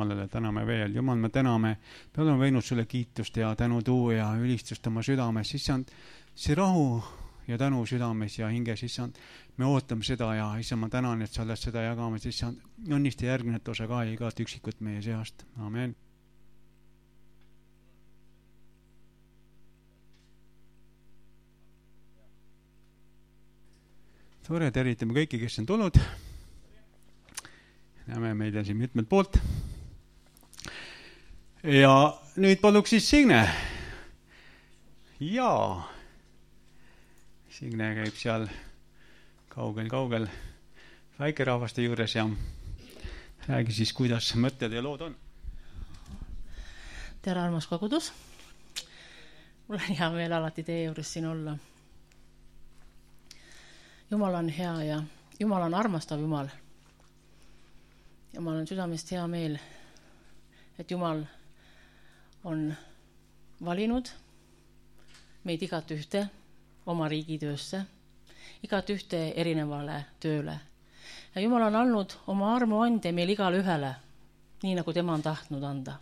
Jumalale täname veel. Jumal, me täname, me oleme võinud sulle kiitust ja tänu tuua ja ülistust oma südames. Issand, see rahu ja tänu südames ja hinges, issand, me ootame seda ja issand, ma tänan, et sa oled seda jagamas. Issand, õnnista järgnevat osa ka ja igat üksikut meie seast. Amen. Tore, tervitame kõiki, kes on tulnud. Näeme meid on siin mitmelt poolt. Ja nüüd paluks siis Signe. Jaa. Signe käib seal kaugel väikerahvaste juures ja räägi siis, kuidas mõtted ja lood on. Tere, armas kogudus. Mul on hea meel alati teie juures siin olla. Jumal on hea ja Jumal on armastav Jumal. Jumal on südamest hea meel, et Jumal on valinud meid igat ühte oma riigitöösse, igat ühte erinevale tööle. Ja Jumal on andnud oma armu ande meil igale ühele, nii nagu tema on tahtnud anda.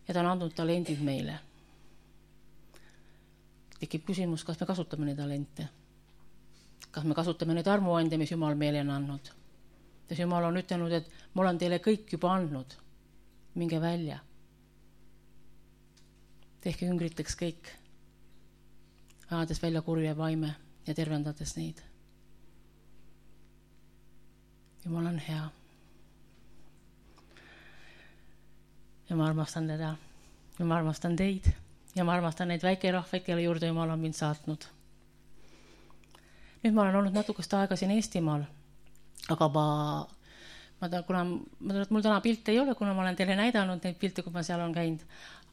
Ja ta on andnud talendid meile. Tekib küsimus, kas me kasutame neid talente? Kas me kasutame neid armuande, mis Jumal meile on andnud? Sest Jumal on ütelnud, et ma olen teile kõik juba andnud. Minge välja. Tehke üngriteks kõik. Ajades välja kurja vaime ja tervendades neid. Jumal on hea. Ja ma armastan teda. Ja ma armastan teid. Ja ma armastan neid väikerahvaid, kelle juurde Jumal on mind saatnud. Nüüd ma olen olnud natukest aega siin Eestimaal, aga mul täna pilte ei ole, kuna ma olen teile näidanud neid pilte, kui ma seal on käinud,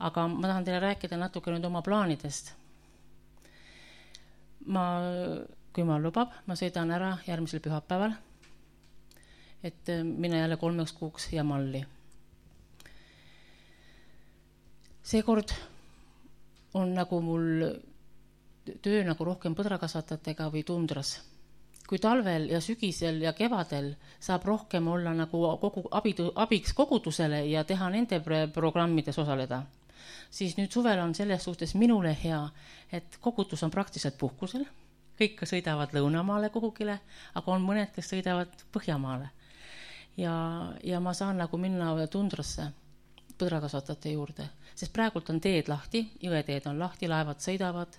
aga ma tahan teile rääkida natuke nüüd oma plaanidest. Kui ma lubab, ma sõidan ära järgmisel pühapäeval, et minna jälle 3 kuuks Jamalli. Seekord on nagu mul töö nagu rohkem põdrakasvatajatega või tundras. Kui talvel ja sügisel ja kevadel saab rohkem olla nagu abiks kogudusele ja teha nende programmides osaleda, siis nüüd suvel on selles suhtes minule hea, et kogudus on praktiliselt puhkusel. Kõik sõidavad Lõunamaale kuhugile, aga on mõned, kes sõidavad Põhjamaale. Ja ma saan nagu minna tundrasse põdrakasvatajate juurde, sest praegult on teed lahti, jõeteed on lahti, laevad sõidavad,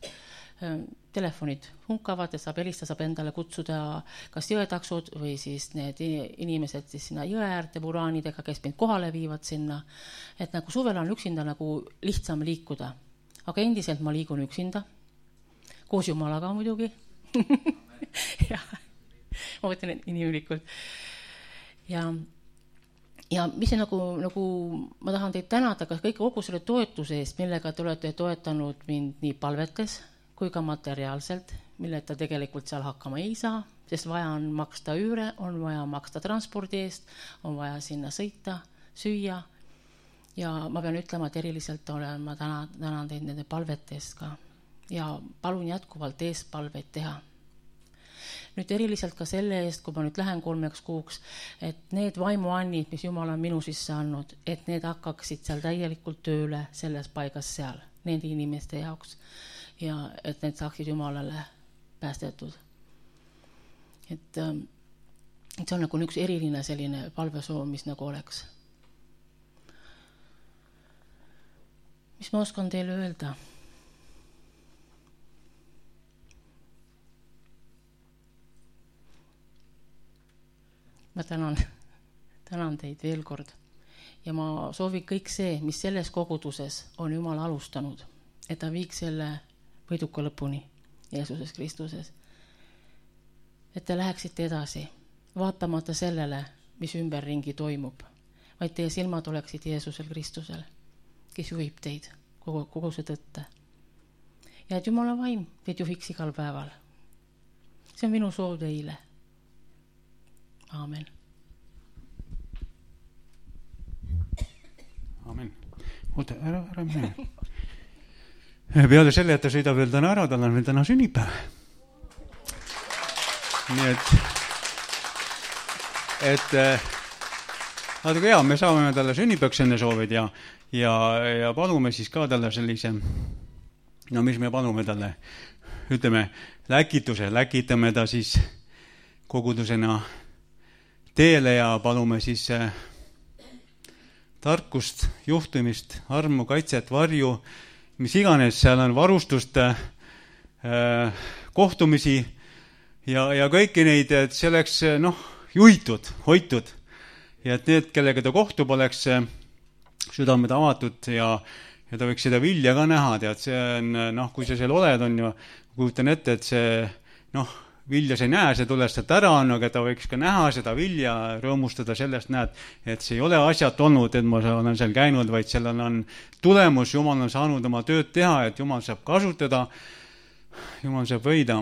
telefonid hunkavad ja saab helistada, saab endale kutsuda kas jõetaksud või siis need inimesed siis sinna jõe äärde vuraanidega, kes mind kohale viivad sinna. Et nagu suvel on üksinda nagu lihtsam liikuda. Aga endiselt ma liigun üksinda. Koos Jumalaga muidugi. Ja, ma võtan inimlikult. Ja mis nagu ma tahan teid tänada kõik kogu selle toetuse eest, millega te olete toetanud mind nii palvetes kui ka materiaalselt, mille ta tegelikult seal hakkama ei saa, sest vaja on maksta üüre, on vaja maksta transpordi eest, on vaja sinna sõita, süüa. Ja ma pean ütlema, et eriliselt ma tänan teid nende palvete eest ka. Ja palun jätkuvalt eest palveid teha. Nüüd eriliselt ka selle eest, kui ma nüüd lähen 3 kuuks, et need vaimuannid, mis Jumal on minu sisse andnud, et need hakkaksid seal täielikult tööle selles paigas seal, nende inimeste jaoks. Ja et need saaksid Jumalale päästetud. Et see on nagu üks eriline selline palvesoov, mis nagu oleks. Mis ma oskan teile öelda? Ma tänan teid veel kord. Ja ma soovin kõik see, mis selles koguduses on Jumal alustanud, et ta viiks selle võiduka lõpuni Jeesuses Kristuses. Et te läheksite edasi, vaatamata sellele, mis ümberringi toimub, vaid teie silmad oleksid Jeesusel Kristusel, kes juhib teid kogu see tõtte. Ja et Jumala vaim teid juhiks igal päeval. See on minu soov teile. Aamen. Aamen. Oota, ära mene. Peale selle, et ta sõidab veel täna ära, tal on veel täna sünnipäev. Nii et aga hea, me saame talle sünnipäevaks enne soovid ja palume siis ka talle sellise, no mis me palume talle, ütleme, läkitame ta siis kogudusena teele ja palume siis tarkust, juhtumist, armu, kaitset, varju, mis iganes, seal on varustust, kohtumisi ja kõiki neid, et see oleks juhitud, hoitud ja et need, kellega ta kohtub, oleks südamed avatud ja ta võiks seda vilja ka näha, tead, see on, kui sa seal oled, on ju, kujutan ette, et see, vilja sa ei näe, see tuleb sealt ära, aga ta võiks ka näha seda vilja, rõõmustada sellest, näed, et see ei ole asjat olnud, et ma olen seal käinud, vaid sellel on tulemus, Jumal on saanud oma tööd teha, et Jumal saab kasutada, Jumal saab võida,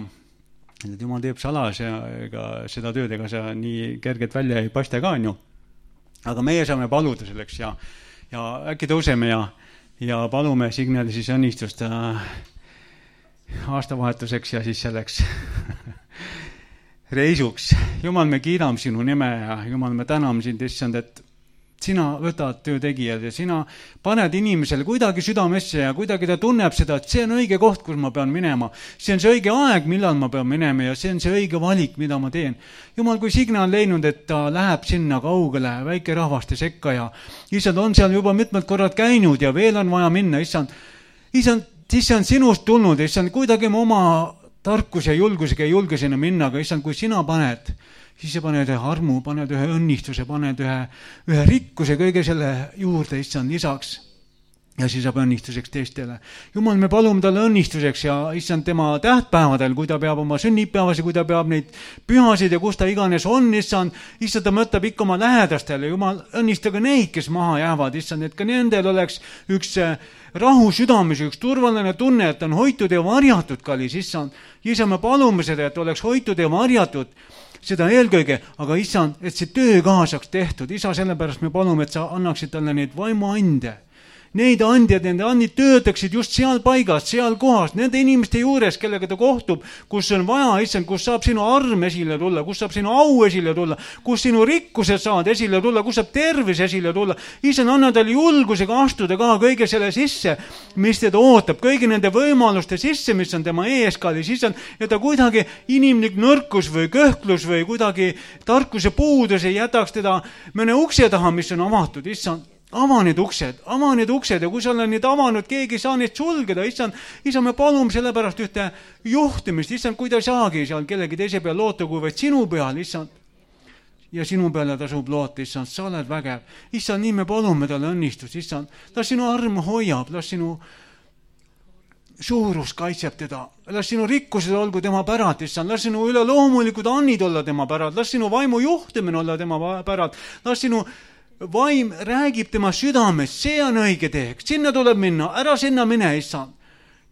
et Jumal teeb salas ja ega seda tööd, ega see nii kergelt välja ei paista ka, on ju. Aga meie saame paluda selleks ja äkki tõuseme ja palume Signali siis õnnistust aastavahetuseks ja siis selleks reisuks. Jumal, me kiidame sinu nime ja Jumal, me täname sind, issand, et sina võtad töötegijad ja sina paned inimesele kuidagi südamesse ja kuidagi ta tunneb seda, et see on õige koht, kus ma pean minema. See on see õige aeg, millal ma pean minema ja see on see õige valik, mida ma teen. Jumal, kui Signe on leidnud, et ta läheb sinna kaugele väike rahvaste sekka ja issand on seal juba mitmed korrad käinud ja veel on vaja minna, issand, siis see on sinust tulnud, issand, kuidagi ma oma tarkuse ja julgusega ei julge sinna minna, aga issand, kui sina paned, siis sa paned ühe armu, paned ühe õnnistuse, paned ühe rikkuse kõige selle juurde, issand, lisaks. Ja siis saab õnnistuseks teistele. Jumal, me palume talle õnnistuseks ja issand tema tähtpäevadel, kui ta peab oma sünnipäevasi, kui ta peab neid pühasid ja kus ta iganes on, issand ta mõtleb ikka oma lähedastele. Jumal, õnnistage neid, kes maha jäävad, issand, et ka nendel oleks üks rahu südames, üks turvaline tunne, et on hoitud ja varjatud, kallis issand. Issand, me palume seda, et oleks hoitud ja varjatud seda eelkõige, aga issand, et see töö ka saaks tehtud. Isa, sellepärast me palume, et sa annaksid talle neid vaimuande. Neid andjad, nende andid töötaksid just seal paigas, seal kohas, nende inimeste juures, kellega ta kohtub, kus on vaja, issand, kus saab sinu arm esile tulla, kus saab sinu au esile tulla, kus sinu rikkused saavad esile tulla, kus saab tervis esile tulla. Issand, anna talle julgusega astuda ka kõige selle sisse, mis teda ootab, kõigi nende võimaluste sisse, mis on tema eeskallis, issand, ja ta kuidagi inimlik nõrkus või kõhklus või kuidagi tarkuse puudus ei jätaks teda mõne ukse taha, mis on avatud, issand. Ava need uksed ja kui sa oled neid avanud, keegi ei saa neid sulgeda, issand, me palume sellepärast ühte juhtimist, issand, kui ta ei saagi seal kellegi teise peal loota, kui vaid sinu peal, issand, ja sinu peale tasub loota, issand, sa oled vägev, issand, nii me palume talle õnnistust, issand, las sinu arm hoiab, las sinu suurus kaitseb teda, las sinu rikkused olgu tema pärad, issand, las sinu üleloomulikud annid olla tema pärad, las sinu vaimu juhtimine olla tema pärad, las sinu vaim räägib tema südames, see on õige teeks, sinna tuleb minna, ära sinna mine, issand.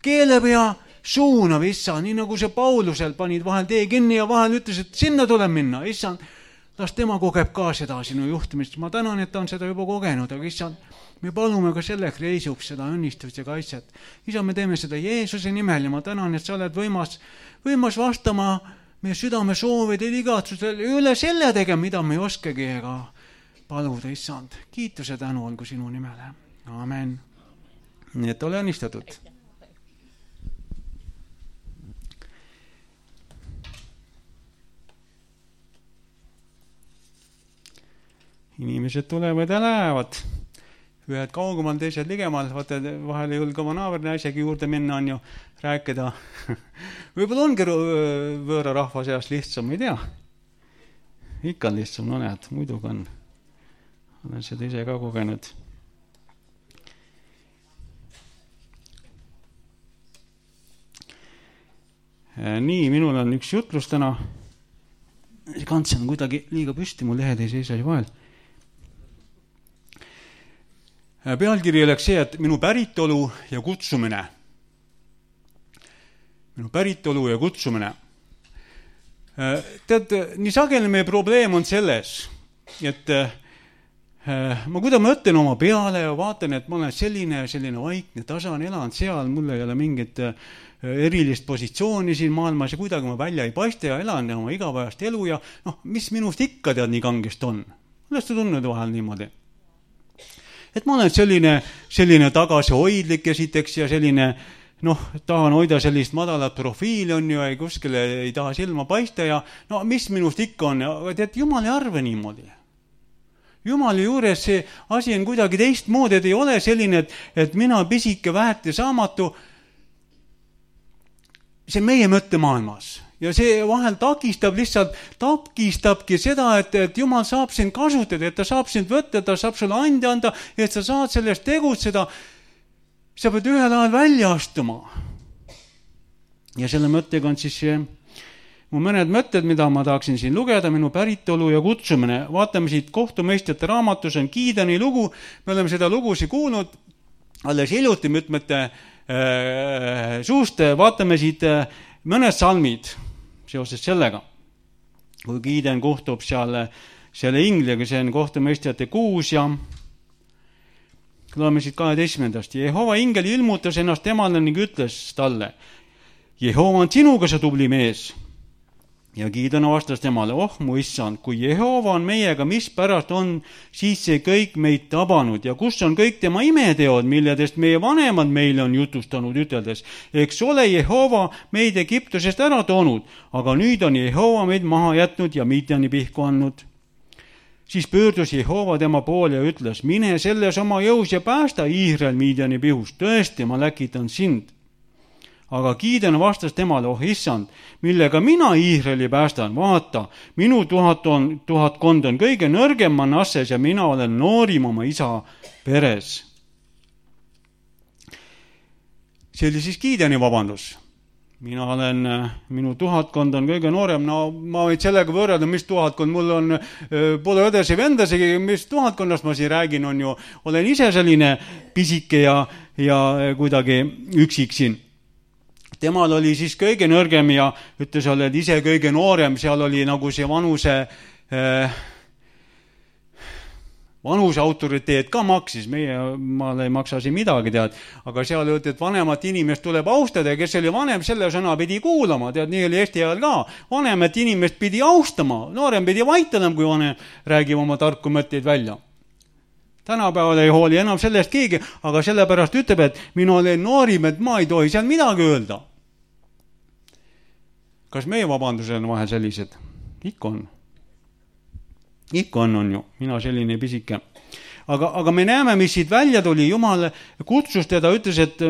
Keeleb ja suunav, issand, nii nagu see Paulusel panid vahel tee kinni ja vahel ütles, et sinna tuleb minna, issand. Las tema kogeb ka seda sinu juhtimist. Ma tänan, et ta on seda juba kogenud, aga issand, me palume ka selleks reisuks seda õnnistust ja kaitset. Isa, me teeme seda Jeesuse nimel ja ma tänan, et sa oled võimas vastama meie südame soovidel igatsusel üle selle tegema, mida me ei oskagi ega paluda, issand, kiituse tänu olgu sinu nimele. Amen. Nii et ole õnnistatud. Inimesed tulevad ja lähevad. Ühed kaugemal, teised ligemal. Vaata, vahel ei julge oma naaberna isegi juurde minna, on ju, rääkida. Võib-olla ongi võõra rahva seas lihtsam, ei tea. Ikka on lihtsam, no näed, muidugi on. Olen seda ise ka kogenud. Nii, minul on üks jutlus täna. Kants on kuidagi liiga püsti, mul lehed ei seisa vahel. Pealkiri oleks see, et minu päritolu ja kutsumine. Minu päritolu ja kutsumine. Tead, nii sageli meie probleem on selles, et ma kuidas ma ütlen oma peale ja vaatan, et ma olen selline vaikne, tasan, elan seal, mul ei ole mingit erilist positsiooni siin maailmas ja kuidagi ma välja ei paista ja elan oma igapäevast elu ja mis minust ikka tead nii kangest on. oled sa tundnud vahel niimoodi? Et ma olen selline tagasihoidlik esiteks ja selline, tahan hoida sellist madalat profiili on ju, ei kuskile ei taha silma paista ja mis minust ikka on, aga tead, Jumal ei arve niimoodi. Jumali juures see asi on kuidagi teistmoodi, et ei ole selline, et mina pisike vähete saamatu, see meie mõttemaailmas. Ja see vahel takistabki seda, et Jumal saab sind kasutada, et ta saab sind võtta, ta saab sulle anda, et sa saad sellest tegutseda. Sa pead ühel ajal välja astuma. Ja selle mõttega on siis mu mõned mõtted, mida ma tahaksin siin lugeda, minu päritolu ja kutsumine. Vaatame siit Kohtumõistjate raamatus on Gideoni lugu. Me oleme seda lugusi kuulnud alles hiljuti mitmete suust. Vaatame siit mõned salmid seoses sellega. Kui Gideon kohtub selle ingliga, see on Kohtumõistjate 6 ja loeme siit 12. Jehova ingel ilmutas ennast temale ning ütles talle, Jehova on sinuga, sa tubli mees. Ja Gideon vastas temale, mu issand, kui Jehova on meiega, mis pärast on siis see kõik meid tabanud ja kus on kõik tema imeteod, milledest meie vanemad meile on jutustanud üteldes. Eks ole Jehova meid Egiptusest ära toonud, aga nüüd on Jehova meid maha jätnud ja Midjani pihku andnud. Siis pöördus Jehova tema poole ja ütles, mine selles oma jõus ja päästa Iisrael Midjani pihust, tõesti, ma läkitan sind. Aga Gideon vastas temale, issand, millega mina Iisraeli päästan, vaata, minu tuhatkond on kõige nõrgem Manasses ja mina olen noorim oma isa peres. See oli siis Gideoni vabandus. Minu tuhatkond on kõige noorem, ma võin sellega võrrelda, mis tuhatkond, mul on, pole õdesi vendasegi, mis tuhatkonnast ma siin räägin, on ju, olen ise selline pisike ja kuidagi üksik siin. Temal oli siis kõige nõrgem ja ütles, oled ise kõige noorem, seal oli nagu see vanuse autoriteet ka maksis, maal ei maksa siin midagi, tead, aga seal öeldi, et vanemat inimest tuleb austada ja kes oli vanem, selle sõna pidi kuulama, tead, nii oli Eesti ajal ka, vanemat inimest pidi austama, noorem pidi vaitalem, kui vanem räägib oma tarku mõtteid välja. Tänapäeval ei hooli enam sellest keegi, aga sellepärast ütleb, et minu olen noorim, et ma ei tohi seal midagi öelda. Kas meie vabandused on vahel sellised? Ikka on. Ikka on ju. Mina selline pisike. Aga me näeme, mis siit välja tuli. Jumal kutsus teda, ütles, et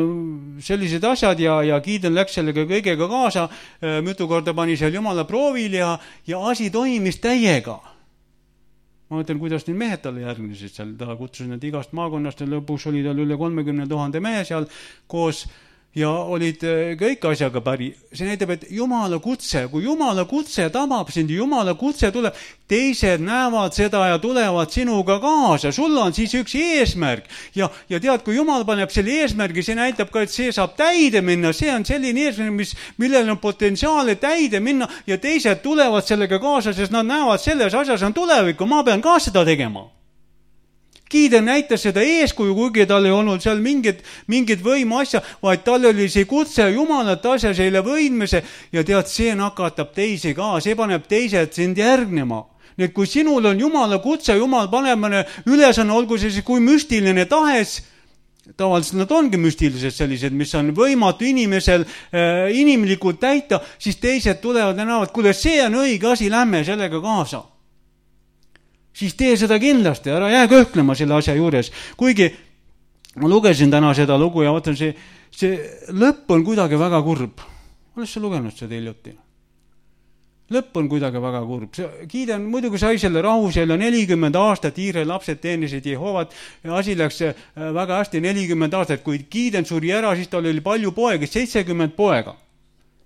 sellised asjad ja Gideon läks sellega kõigega kaasa. Mitu korda pani seal Jumala proovil ja asi toimis täiega. Ma mõtlen, kuidas need mehed talle järgnesid seal. Ta kutsus need igast maakonnast ja lõpuks oli tal üle 30 000 mehe seal koos ja olid kõik asjaga päri. See näitab, et Jumala kutse, kui Jumala kutse tabab sind, Jumala kutse tuleb, teised näevad seda ja tulevad sinuga kaasa. Sul on siis üks eesmärk. Ja tead, kui Jumal paneb selle eesmärgi, see näitab ka, et see saab täide minna. See on selline eesmärk, millel on potentsiaali täide minna ja teised tulevad sellega kaasa, sest nad näevad selles asjas on tulevikku. Ma pean ka seda tegema. Gideon näitas seda eeskuju, kuigi tal ei olnud seal mingit võimu asja, vaid tal oli see kutse Jumalat asja selle võidmise ja tead, see nakatab teisi ka, see paneb teised sind järgnema. Nii et kui sinul on Jumala kutse, Jumal paneb mõne ülesanne, olgu see kui müstiline tahes, tavaliselt nad ongi müstilised sellised, mis on võimatu inimesel inimlikult täita, siis teised tulevad ja näevad, kuule, see on õige asi, lähme sellega kaasa. Siis tee seda kindlasti, ära jää kõhklema selle asja juures. Kuigi ma lugesin täna seda lugu ja vaatan, see lõpp on kuidagi väga kurb. Oled sa lugenud seda hiljuti? Lõpp on kuidagi väga kurb. Gideon muidugi sai selle rahu selle 40 aastat, Iisraeli lapsed teenisid Jehovat ja asi läks väga hästi 40 aastat. Kui Gideon suri ära, siis tal oli palju poegi, 70 poega.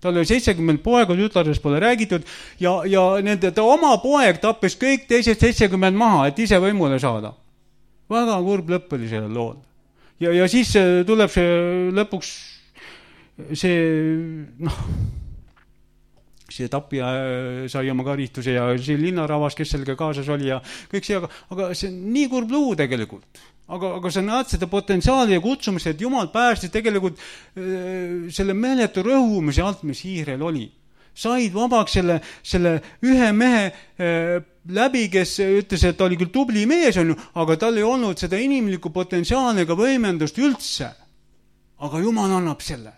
Tal oli 70 poega, tütardest pole räägitud ja ta oma poeg tappis kõik teised 70 maha, et ise võimule saada. Väga kurb lõpp oli sellel lool. Ja siis tuleb see lõpuks see tapja sai oma karistuse ja see linnaravas, kes sellega kaasas oli ja kõik see, aga see on nii kurb luu tegelikult. Aga sa näed seda potentsiaali ja kutsumist, et Jumal päästis tegelikult selle meeletu rõhumise alt, mis Iisrael oli. Said vabaks selle ühe mehe läbi, kes ütles, et ta oli küll tubli mees, on ju, aga tal ei olnud seda inimlikku potentsiaali ega võimendust üldse. Aga Jumal annab selle.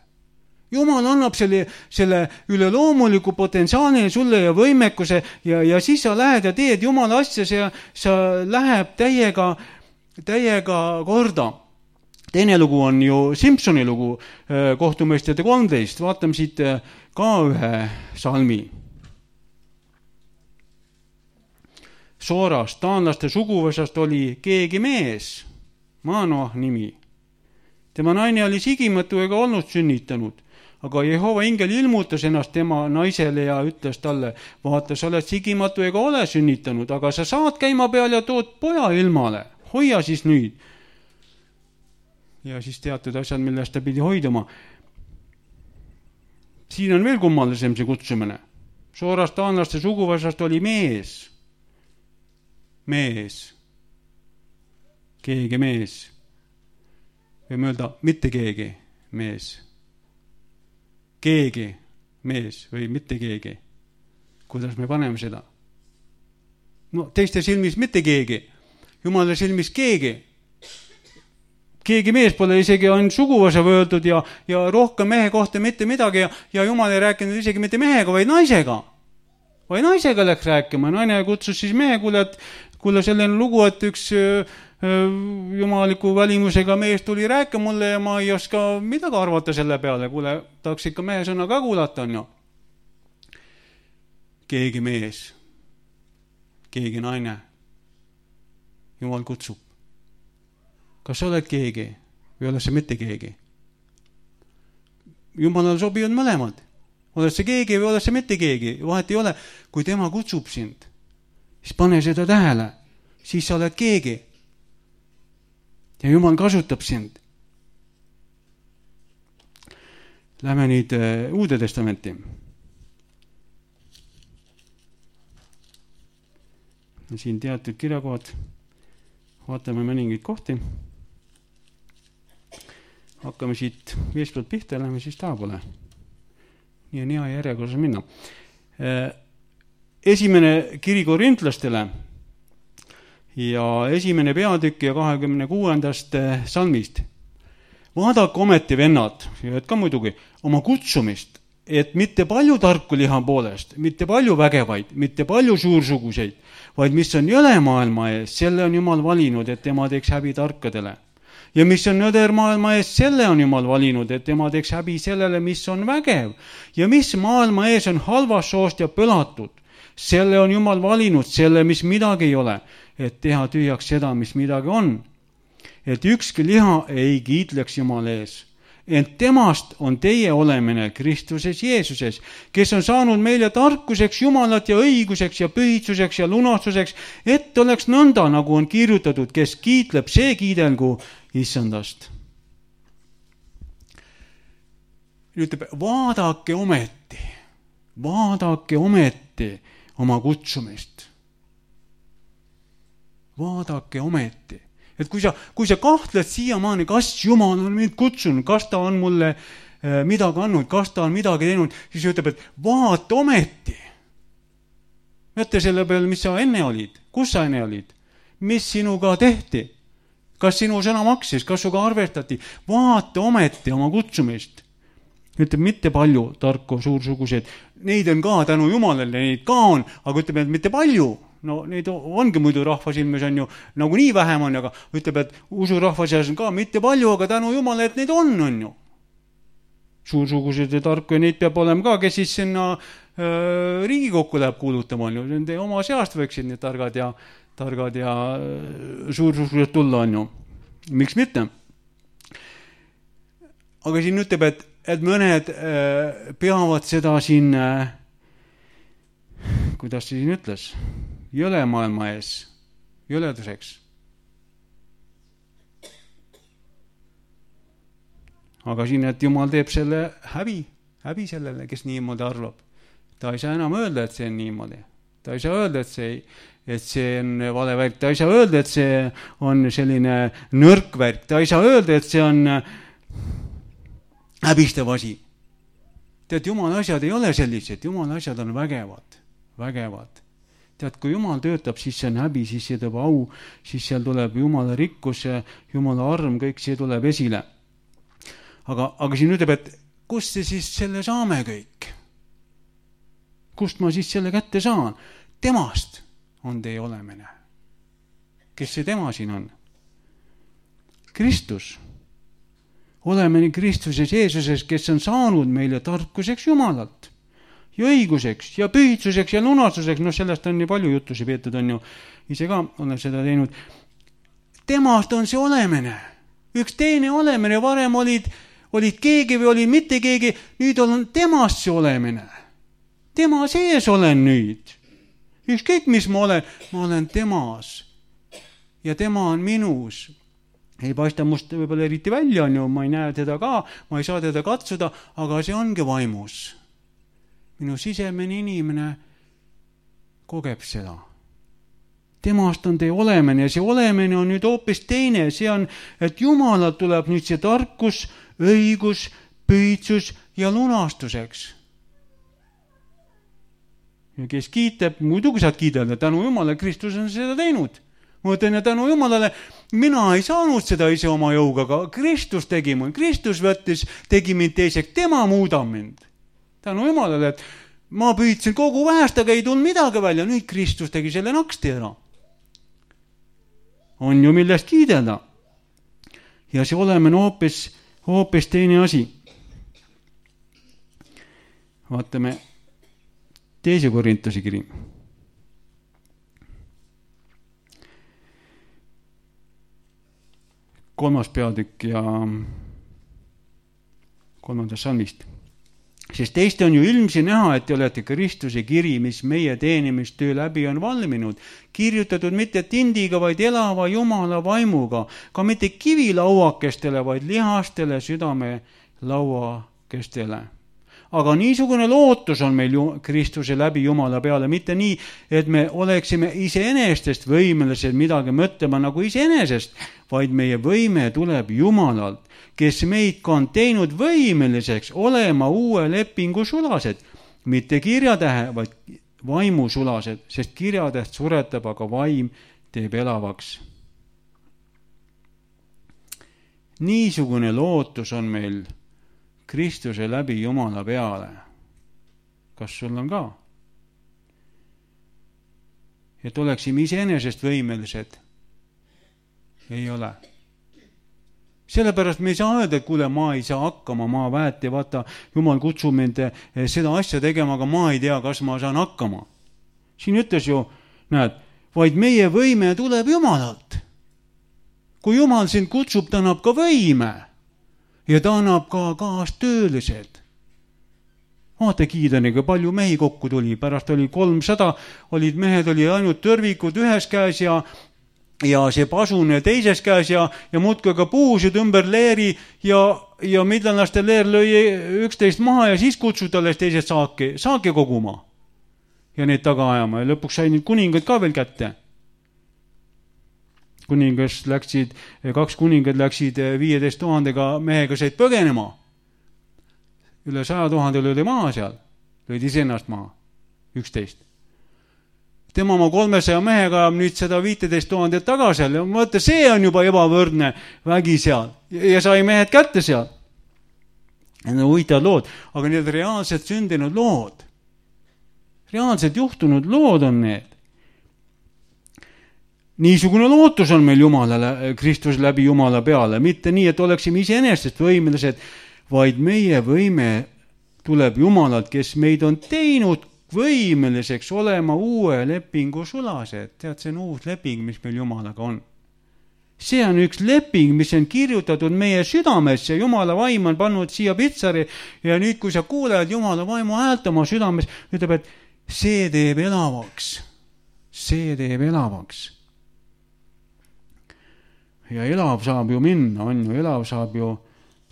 Jumal annab selle üleloomuliku potentsiaali sulle ja võimekuse ja siis sa lähed ja teed Jumala asja ja sa läheb täiega korda. Teine lugu on ju Simpsoni lugu, Kohtumõistjate 13. Vaatame siit ka ühe salmi. Soorast, taanlaste suguvõsast oli keegi mees, Manoah nimi. Tema naine oli sigimatu ega olnud sünnitanud, aga Jehova ingel ilmutas ennast tema naisele ja ütles talle, vaata, sa oled sigimatu ega ole sünnitanud, aga sa saad käima peal ja tood poja ilmale, hoia siis nüüd. Ja siis teatud asjad, millest ta pidi hoiduma. Siin on veel kummalisem see kutsumine. Soorast taanlaste suguvõsast oli mees. Keegi mees. Võime öelda, mitte keegi mees. Keegi mees või mitte keegi. Kuidas me paneme seda? No teiste silmis mitte keegi. Jumala silmis keegi. Keegi mees pole isegi on suguvõsa võeldud ja rohkem mehe kohta mitte midagi ja Jumal ei rääkinud isegi mitte mehega, vaid naisega. Vaid naisega läks rääkima. Naine kutsus siis mehe, kuule selline lugu, et üks jumaliku välimusega mees tuli rääkima mulle ja ma ei oska midagi arvata selle peale. Kuule, tahaks ikka mehe sõna ka kuulata, on ju. Keegi mees, keegi naine. Jumal kutsub. Kas sa oled keegi või oled sa mitte keegi? Jumalale sobivad mõlemad. Oled sa keegi või oled sa mitte keegi? Vahet ei ole. Kui tema kutsub sind, siis pane seda tähele. Siis sa oled keegi. Ja Jumal kasutab sind. Lähme nüüd Uude Testamenti. Siin teatud kirjakohad. Vaatame mõningaid kohti. Hakkame siit eespoolt pihta, lähme siis taapole. Nii on hea järjekorras minna. Esimene kiri korintlastele ja esimene peatükk ja 26. salmist. Vaadake ometi vennad, ja ka muidugi, oma kutsumist, et mitte palju tarku liha poolest, mitte palju vägevaid, mitte palju suursuguseid, vaid mis on jõle maailma ees, selle on Jumal valinud, et tema teeks häbi tarkadele. Ja mis on nõder maailma ees, selle on Jumal valinud, et tema teeks häbi sellele, mis on vägev. Ja mis maailma ees on halvast soost ja põlatud, selle on Jumal valinud, selle, mis midagi ei ole, et teha tühjaks seda, mis midagi on. Et ükski liha ei kiitleks Jumal ees. Ent temast on teie olemine Kristuses Jeesuses, kes on saanud meile tarkuseks Jumalat ja õiguseks ja pühitsuseks ja lunastuseks, et oleks nõnda, nagu on kirjutatud, kes kiitleb, see kiidelgu Issandast. Ütleb, vaadake ometi oma kutsumist. Vaadake ometi. Et kui sa kahtled siiamaani, kas Jumal on mind kutsunud, kas ta on mulle midagi andnud, kas ta on midagi teinud, siis ütleb, et vaata ometi. Mõtle selle peale, mis sa enne olid, kus sa enne olid, mis sinuga tehti, kas sinu sõna maksis, kas suga arvestati, vaata ometi oma kutsumist. Ütleb, mitte palju tarku, suursuguseid, neid on ka tänu Jumalale, neid ka on, aga ütleb, et mitte palju. No neid ongi muidu rahva silmes on ju, nagu nii vähem on, aga ütleb, et usurahva seas on ka mitte palju, aga tänu Jumala, et neid on ju. Suursugused ja tarku ja neid peab olema ka, kes siis sinna Riigikokku läheb kuulutama on ju. Nende oma seast võiksid need targad ja suursugused tulla on ju. Miks mitte? Aga siin ütleb, et mõned peavad seda siin, kuidas see siin ütles? Jõle maailma ees, jõleduseks. Aga siin, et Jumal teeb selle häbi sellele, kes niimoodi arvab. Ta ei saa enam öelda, et see on niimoodi. Ta ei saa öelda, et see on vale värk. Ta ei saa öelda, et see on selline nõrk värk. Ta ei saa öelda, et see on häbistav asi. Tead, Jumala asjad ei ole sellised. Jumala asjad on vägevad. Tead, kui Jumal töötab, siis see on häbi, siis see teeb au, siis seal tuleb Jumala rikkus, Jumala arm, kõik see tuleb esile. Aga siin ütleb, et kust see siis selle saame kõik? Kust ma siis selle kätte saan? Temast on teie olemine. Kes see tema siin on? Kristus. Oleme nii Kristuses Jeesuses, kes on saanud meile tarkuseks Jumalalt ja õiguseks ja pühitsuseks ja lunastuseks. Sellest on nii palju jutusi peetud, on ju. Ise ka olen seda teinud. Temast on see olemine. Üks teine olemine. Varem olid keegi või olid mitte keegi. Nüüd on temast see olemine. Tema sees olen nüüd. Ükskõik mis ma olen temas. Ja tema on minus. Ei paista must võib-olla eriti välja, on ju, ma ei näe teda ka, ma ei saa teda katsuda, aga see ongi vaimus. Minu sisemine inimene kogeb seda. Temast on teie olemine ja see olemine on nüüd hoopis teine. See on, et Jumalalt tuleb nüüd see tarkus, õigus, pühitsus ja lunastuseks. Ja kes kiitab, muidugi saad kiidada, tänu Jumala, Kristus on seda teinud. Ma ütlen, ja tänu Jumalale, mina ei saanud seda ise oma jõuga, aga Kristus tegi mind. Kristus tegi mind teiseks, tema muudab mind. Tänu Jumalale, et ma püüdsin kogu vähest, aga ei tulnud midagi välja. Nüüd Kristus tegi selle naksti ära. On ju millest kiideda. Ja see olemine hoopis teine asi. Vaatame 2. Korintuse kiri. 3. peatükk ja 3. salmist. Sest teiste on ju ilmsi näha, et te olete Kristuse kiri, mis meie teenimistöö läbi on valminud, kirjutatud mitte tindiga, vaid elava Jumala vaimuga, ka mitte kivilauakestele, vaid lihastele südame lauakestele. Aga niisugune lootus on meil Kristuse läbi Jumala peale, mitte nii, et me oleksime iseenestest võimelised midagi mõtlema nagu iseenesest, vaid meie võime tuleb Jumalalt, kes meid ka on teinud võimeliseks olema uue lepingu sulased, mitte kirjatähe, vaid vaimu sulased, sest kirjatäht suretab, aga vaim teeb elavaks. Niisugune lootus on meil Kristuse läbi Jumala peale. Kas sul on ka? Et oleksime iseenesest võimelised? Ei ole. Sellepärast me ei saa öelda, et kuule, ma ei saa hakkama, ma väeti, vaata, Jumal kutsub mind seda asja tegema, aga ma ei tea, kas ma saan hakkama. Siin ütles ju, näed, vaid meie võime tuleb Jumalalt. Kui Jumal sind kutsub, ta annab ka võime. Ja ta annab ka kaastöölised. Vaata Kiidaniga, palju mehi kokku tuli. Pärast oli 300, olid mehed, oli ainult tõrvikud ühes käes ja see pasune teises käes ja muudkui ka puusid ümber leeri ja midlanaste leer lõi 11 maha ja siis kutsud alles teised saaki koguma. Ja neid taga ajama ja lõpuks sai nüüd kuningad ka veel kätte. 2 kuningad läksid 15 000 mehega said põgenema. Üle 100 000 oli maha seal. Lõid iseennast maha. 11. Tema oma 300 mehega nüüd seda 15 000 tagasi ja mõtle, see on juba ebavõrdne vägi seal. Ja sai mehed kätte seal. Need on huvitavad lood. Aga need reaalselt sündinud lood. Reaalselt juhtunud lood on need. Niisugune lootus on meil Jumalale, Kristus läbi Jumala peale. Mitte nii, et oleksime iseenesest võimelised, vaid meie võime tuleb Jumalalt, kes meid on teinud võimeliseks olema uue lepingu sulased. Tead, see on uus leping, mis meil Jumalaga on. See on üks leping, mis on kirjutatud meie südamesse. Jumala vaim on pannud siia pitsari ja nüüd, kui sa kuuled Jumala vaimu häält oma südames, ütleb, et see teeb elavaks. See teeb elavaks. Ja elav saab ju minna, on ju, elav saab ju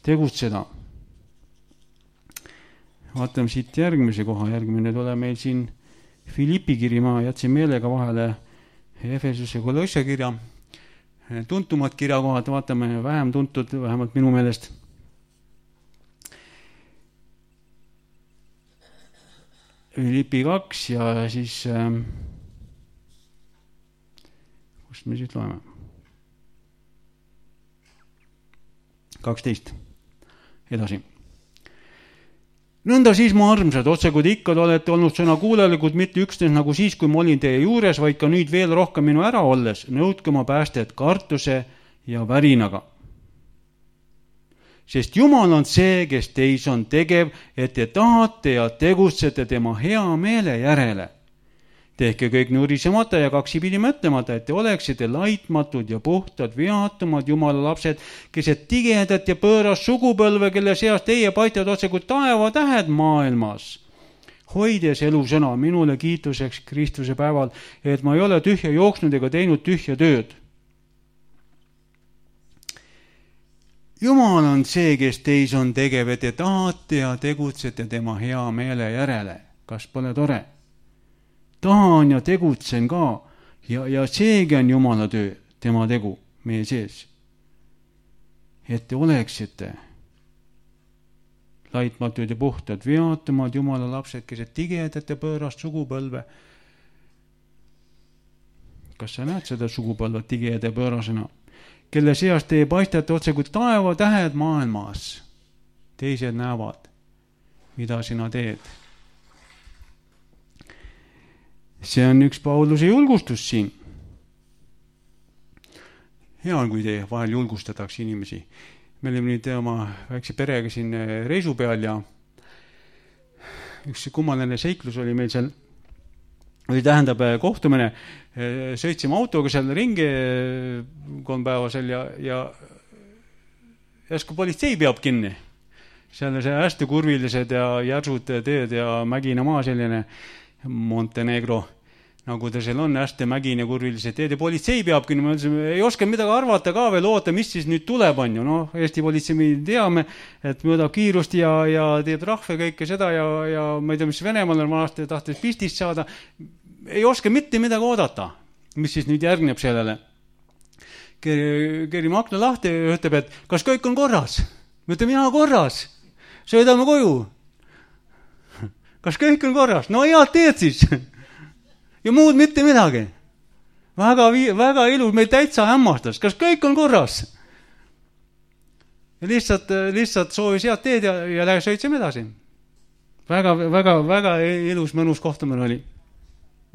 tegutseda. Vaatame siit järgmise koha, järgmine tule meil siin Filippi kiri, ma jätsin meelega vahele Efesuse Kolosse kirja, tuntumad kirjakohad, vaatame vähem tuntud, vähemalt minu meelest. Filippi 2 ja siis Kus me siis loeme? 12. Edasi. Nõnda siis, mu armsad, otse kui te ikka olete olnud sõna kuulelikud, mitte üksnes nagu siis, kui ma olin teie juures, vaid ka nüüd veel rohkem minu ära olles, nõudke oma päästet kartuse ja värinaga. Sest Jumal on see, kes teis on tegev, et te tahate ja tegutsete tema hea meele järele. Tehke kõik nurisemata ja kaksipidi mõtlemata, et te oleksite laitmatud ja puhtad, vihatumad Jumala lapsed, keset tigedat ja pööras sugupõlve, kelle seas teie paistavad otse kui taevatähed maailmas. Hoides elusõna minule kiituseks Kristuse päeval, et ma ei ole tühja jooksnud ega teinud tühja tööd. Jumal on see, kes teis on tegev, et te tahate ja tegutsete tema hea meele järele. Kas pole tore? Tahan ja tegutsen ka ja seegi on Jumala töö, tema tegu meie sees. Et te oleksite laitmatud ja puhtad, vihatumad Jumala lapsed, keset tigedat ja pöörast sugupõlve. Kas sa näed seda sugupõlvet tigeda ja pöörasena? Kelle seas teie paistate otse kui taevatähed maailmas. Teised näevad, mida sina teed. See on üks Pauluse julgustus siin. Hea on, kui te vahel julgustatakse inimesi. Me olime nüüd oma väikse perega siin reisu peal ja üks kummaline seiklus oli meil seal, või tähendab kohtumine, sõitsime autoga seal ringi 3 päeva seal ja järsku politsei peab kinni. Seal see hästi kurvilised ja järsud teed ja mägine maa selline Montenegro, nagu ta seal on, hästi mägine kurvilised teed ja politsei peab kinni. Ma ütlesin, ei oska midagi arvata ka veel, oota, mis siis nüüd tuleb on ju. Eesti politsei me teame, et mõõdab kiirust ja teeb rahve kõike seda ja ma ei tea, mis Venemaal on vanasti tahtis pistist saada. Ei oska mitte midagi oodata, mis siis nüüd järgneb sellele. Kerime akna lahti ja ütleb, et kas kõik on korras? Me ütleme, jaa, korras. Sõidame koju. Kas kõik on korras? No head teed siis. Ja muud mitte midagi. Väga ilus, meil täitsa hämmastas. Kas kõik on korras? Ja lihtsalt soovis head teed ja sõitsime edasi. Väga ilus, mõnus kohtumine oli.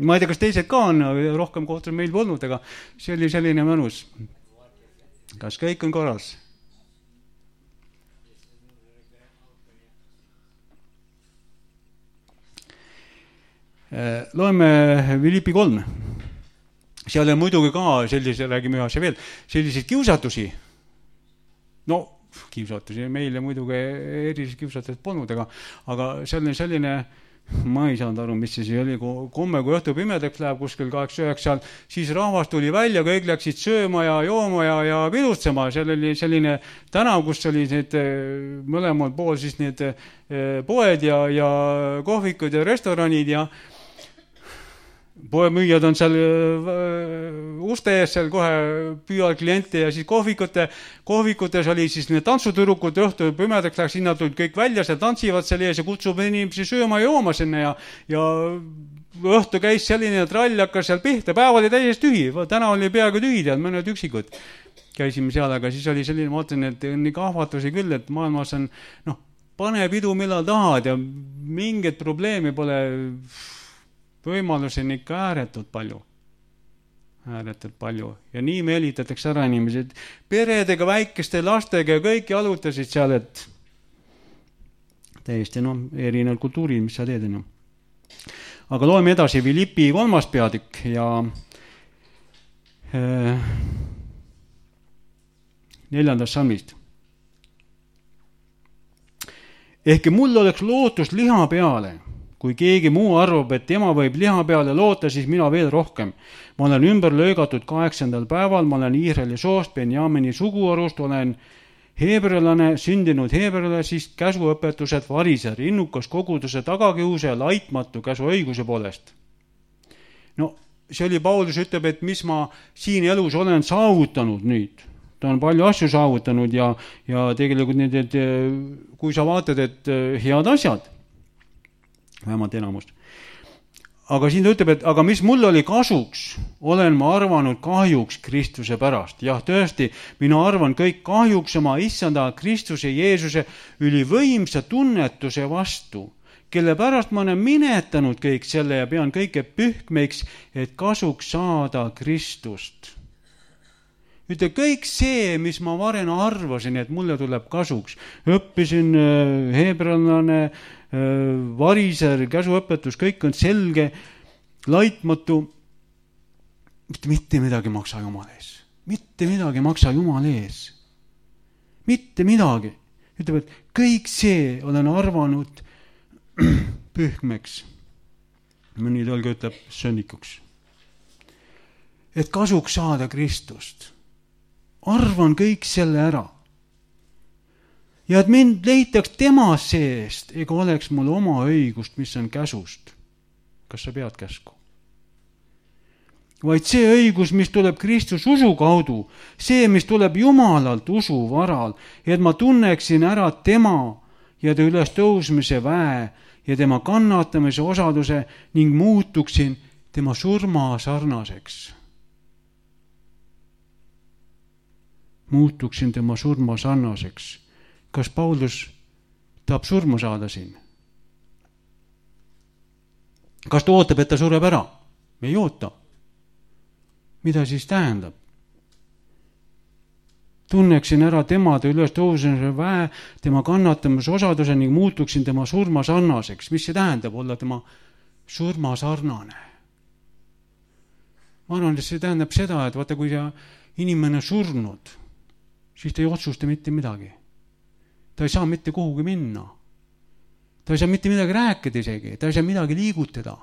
Ma ei tea, kas teised ka on, rohkem kohtumine meil polnud, aga see oli selline mõnus. Kas kõik on korras? Loeme Filipi 3. Seal on muidugi ka sellise, räägime ühase veel, selliseid kiusatusi. No, kiusatusi meile muidugi erilisi kiusatused polnud, aga selline, ma ei saanud aru, mis see oli, komme, kui õhtu pimedaks läheb kuskil 8-9, siis rahvas tuli välja, kõik läksid sööma ja jooma ja pilutsema. Seal oli selline tänav, kus oli need mõlemal pool siis need poed ja kohvikud ja restoranid ja poemüüjad on seal uste ees, seal kohe püüavad kliente ja siis kohvikutes oli siis need tantsutürukud, õhtu pimedaks läks, sinna tulid kõik välja, seal tantsivad seal ees ja kutsub inimesi sööma ja jooma sinna ja õhtu käis selline trall, hakkas seal pihta, päev oli täiesti tühi, täna oli peaaegu tühi, mõned üksikud käisime seal, aga siis oli selline, ma mõtlen, et on nii kahvatusi küll, et maailmas on, pane pidu millal tahad ja mingit probleemi pole. Võimalusi on ikka ääretult palju. Ja nii meelitatakse ära inimesed. Peredega, väikeste lastega ja kõik jalutasid seal, et täiesti erinevad kultuurid, mis sa teed. Aga loeme edasi Filipi 3. peatükk ja 4. salmist. Ehkki mul oleks lootus liha peale, kui keegi muu arvab, et tema võib liha peale loota, siis mina veel rohkem. Ma olen ümber löögatud 8. päeval, ma olen Iisraeli soost, Benjamini suguarust, olen heebrelane, sündinud heebrele, siis käsuõpetused variser, innukas koguduse tagakiuse ja laitmatu käsuõiguse poolest. No, see oli Paulus ütleb, et mis ma siin elus olen saavutanud nüüd. Ta on palju asju saavutanud ja tegelikult need, kui sa vaatad, et head asjad, vähemalt enamust. aga siin ta ütleb, et aga mis mul oli kasuks, olen ma arvanud kahjuks Kristuse pärast. Jah, tõesti, mina arvan kõik kahjuks oma issanda Kristuse Jeesuse ülivõimsa tunnetuse vastu, kelle pärast ma olen minetanud kõik selle ja pean kõike pühkmeiks, et kasuks saada Kristust. Ütle, kõik see, mis ma varem arvasin, et mulle tuleb kasuks. Õppisin heebrealane, variser, käsuõpetus, kõik on selge, laitmatu. Mitte midagi maksa Jumal ees. Mitte midagi maksa Jumal ees. Mitte midagi. Ütleb, et kõik see olen arvanud pühkmeks. Mõni tõlge ütleb sönnikuks. Et kasuks saada Kristust. Arvan kõik selle ära. Ja et mind leitaks tema seest, ega oleks mul oma õigust, mis on käsust. Kas sa pead käsku? Vaid see õigus, mis tuleb Kristus usu kaudu, see, mis tuleb Jumalalt usu varal, et ma tunneksin ära tema ja ta üles tõusmise väe ja tema kannatamise osaduse ning muutuksin tema surma sarnaseks. Muutuksin tema surma sarnaseks. Kas Paulus tahab surma saada siin? Kas ta ootab, et ta sureb ära? Me ei oota. Mida siis tähendab? Tunneksin ära tema üles tõusmise väe, tema kannatamise osaduse ning muutuksin tema surma sarnaseks. Mis see tähendab olla tema surma sarnane? Ma arvan, et see tähendab seda, et vaata, kui inimene surnud, siis ta ei otsusta mitte midagi. Ta ei saa mitte kuhugi minna. Ta ei saa mitte midagi rääkida isegi. Ta ei saa midagi liigutada.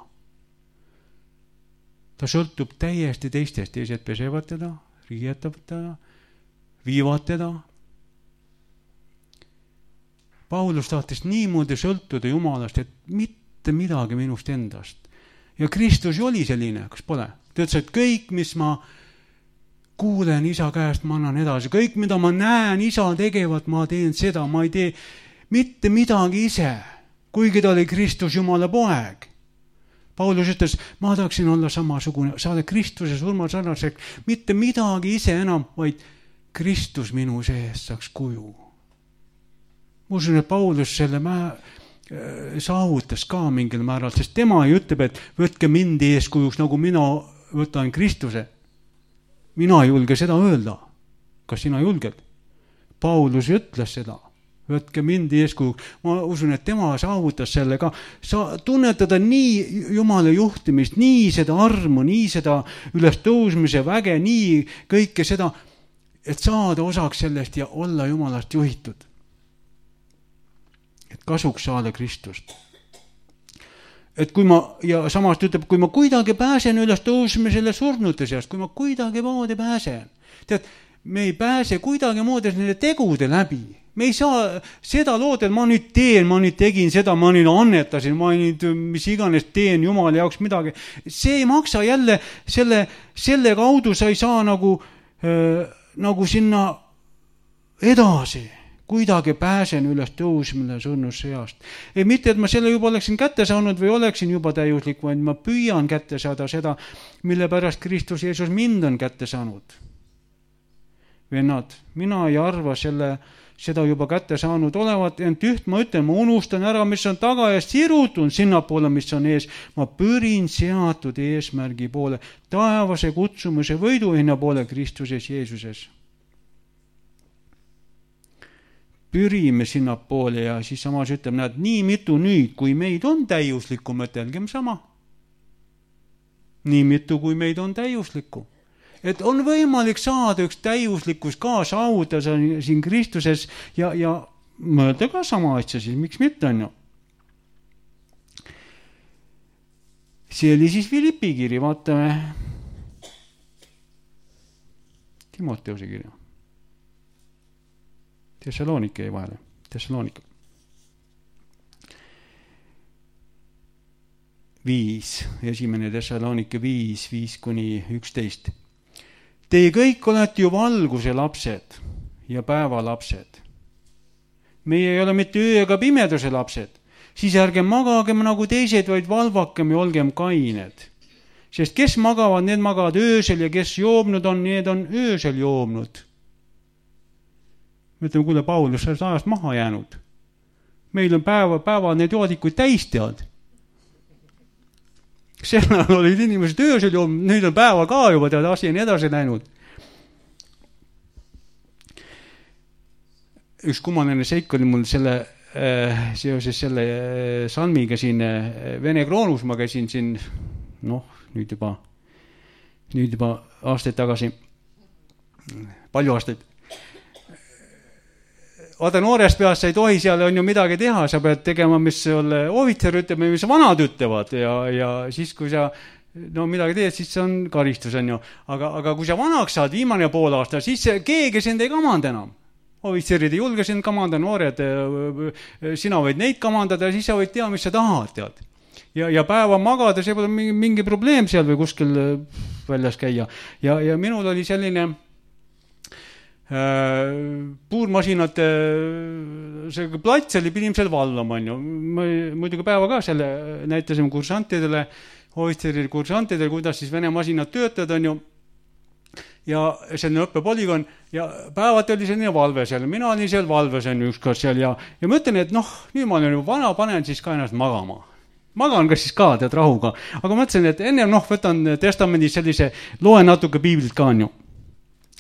Ta sõltub täiesti teistest. Teised pesevad teda, riietavad teda, viivad teda. Paulus tahtis niimoodi sõltuda Jumalast, et mitte midagi minust endast. Ja Kristus oli selline, kas pole? Ta ütles, et kõik, mis ma kuulen isa käest, ma annan edasi. Kõik, mida ma näen isa tegevat, ma teen seda. Ma ei tee mitte midagi ise, kuigi ta oli Kristus Jumala poeg. Paulus ütles, ma tahaksin olla samasugune, saada Kristuse surma sarnaseks, mitte midagi ise enam, vaid Kristus minu sees saaks kuju. Ma usun, et Paulus selle saavutas ka mingil määral, sest tema ei ütleb, et võtke mind eeskujuks, nagu mina võtan Kristuse. Mina ei julge seda öelda. Kas sina julged? Paulus ütles seda. Võtke mind eeskujuks. Ma usun, et tema saavutas selle ka. Tunnetada nii Jumala juhtimist, nii seda armu, nii seda üles tõusmise väge, nii kõike seda, et saada osaks sellest ja olla Jumalast juhitud. Et kasuks saada Kristust. Et kui ma, ja samast ütleb, kui ma kuidagi pääsen üles tõusmisele surnute seast, kui ma kuidagi moodi pääsen. Tead, me ei pääse kuidagi moodi nende tegude läbi. Me ei saa seda lood, et ma nüüd teen, ma nüüd tegin seda, ma nüüd annetasin, ma nüüd mis iganes teen Jumala jaoks midagi. See ei maksa jälle, selle kaudu sa ei saa nagu sinna edasi. Kuidagi pääsen üles tõusmine surnusse seast. Ei mitte, et ma selle juba oleksin kätte saanud või oleksin juba täiuslik, vaid ma püüan kätte saada seda, mille pärast Kristus Jeesus mind on kätte saanud. Vennad, mina ei arva seda juba kätte saanud olevat, ent üht ma ütlen, ma unustan ära, mis on taga ja sirutun sinna poole, mis on ees. Ma pürin seatud eesmärgi poole, taevase kutsumise võiduhinna poole Kristuses Jeesuses. Pürime sinna poole ja siis samas ütleb, näed, nii mitu nüüd, kui meid on täiuslikku, mõtelgem sama. Nii mitu, kui meid on täiuslikku. Et on võimalik saada üks täiuslikkus ka saavutada siin Kristuses ja mõelda ka sama asja, siis miks mitte on ju. See oli siis Filippi kiri, vaatame Timoteuse kirja. Thessalonike jäi vahele. Thessalonika. 5, esimene Thessalonike 5, 5-11. Teie kõik olete ju valguse lapsed ja päeva lapsed. Meie ei ole mitte öö ega pimeduse lapsed, siis ärgem magagem nagu teised, vaid valvakem ja olgem kained. Sest kes magavad, need magavad öösel ja kes joobnud on, need on öösel joobnud. Me ütleme, kuule, Paulus, sa oled ajast maha jäänud. Meil on päeva need joodikuid täis tead. Sellal olid inimesed öösel joobnud, nüüd on päeva ka juba tead, asi on edasi läinud. Üks kummaline seik oli mul seoses selle salmiga siin Vene Kroonus, ma käisin siin, nüüd juba aastaid tagasi, palju aastaid. Vaata, noorest peast sa ei tohi seal on ju midagi teha, sa pead tegema, mis ohvitser ütleb, mis vanad ütlevad ja siis, kui sa midagi teed, siis see on karistus, on ju. Aga kui sa vanaks saad, viimane pool aasta, siis keegi sind ei kamanda enam. Ohvitserid ei julge sind kamanda, noored, sina võid neid kamandada ja siis sa võid teha, mis sa tahad, tead. Ja päeva magada, see pole mingi probleem seal või kuskil väljas käia. Ja minul oli selline puurmasinate see plats oli, pidime seal vallama, on ju. Muidugi päeva ka selle näitasime kursantidele, ohvitseride kursantidele, kuidas siis Vene masinad töötavad, on ju. Ja selline õppepolügoon ja päevad oli selline valve seal. Mina olin seal valves on ükskord seal ja ma ütlen, et nüüd ma olen vana, panen siis ka ennast magama. Magan ka siis ka, tead, rahuga. Aga mõtlesin, et enne võtan testamendis sellise, loen natuke piiblit ka on ju.